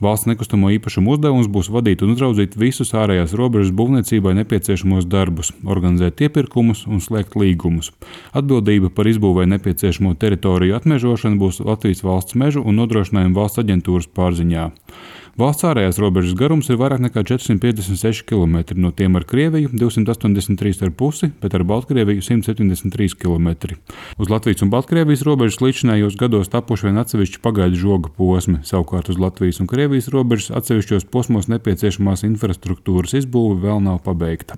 Valsts nekustamo īpašumu uzdevums būs vadīt un uzraudzīt visus ārējās robežas būvniecībai nepieciešamos darbus, organizēt iepirkumus un slēgt līgumus. Atbildība par izbūvei nepieciešamo teritoriju atmežošanu būs Latvijas Valsts mežu un nodrošinājumu valsts aģentūras pārziņā. Valsts ārējās robežas garums ir vairāk nekā 456 km, no tiem ar Krieviju 283,5, bet ar Baltkrieviju 173 km. Uz Latvijas un Baltkrievijas robežas līdzinājos gados tapuši vien atsevišķi pagaidu žoga posmi, savukārt uz Latvijas un Krievijas robežas atsevišķos posmos nepieciešamās infrastruktūras izbūve vēl nav pabeigta.